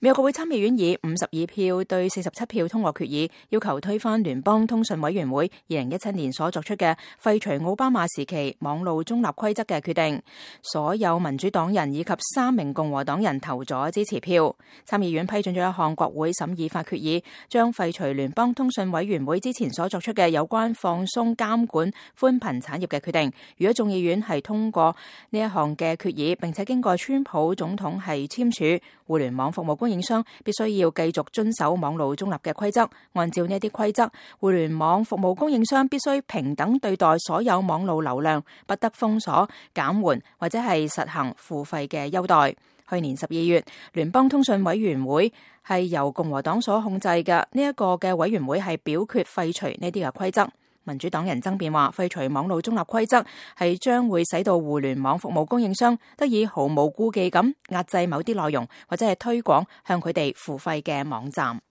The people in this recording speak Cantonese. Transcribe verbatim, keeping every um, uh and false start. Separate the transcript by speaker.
Speaker 1: 美國國會參議院以五十二票對四十七票通過決議，要求推翻聯邦通訊委員會二零一七年所作出嘅廢除奧巴馬時期網路中立規則嘅決定。所有民主黨人以及三名共和黨人投咗支持票。參議院批准咗一項國會審議法決議，將廢除聯邦通訊委員會之前所作出嘅有關放鬆監管寬頻產業嘅決定。如果眾議院係通過呢一項嘅決議，並且經過川普總統係簽署，互聯網服務供應商必須要繼續遵守網路中立嘅規則。按照呢啲規則，互聯網服務供應商必須平等對待所有網路流量，不得封鎖、減緩或者係實行付費嘅優待。去年十二月，聯邦通訊委員會係由共和黨所控制嘅，呢一個嘅委員會係表決廢除呢啲嘅規則。民主黨人爭辯話，廢除網路中立規則係將會使到互聯網服務供應商得以毫無顧忌咁壓制某啲內容，或者係推廣向佢哋付費嘅網站。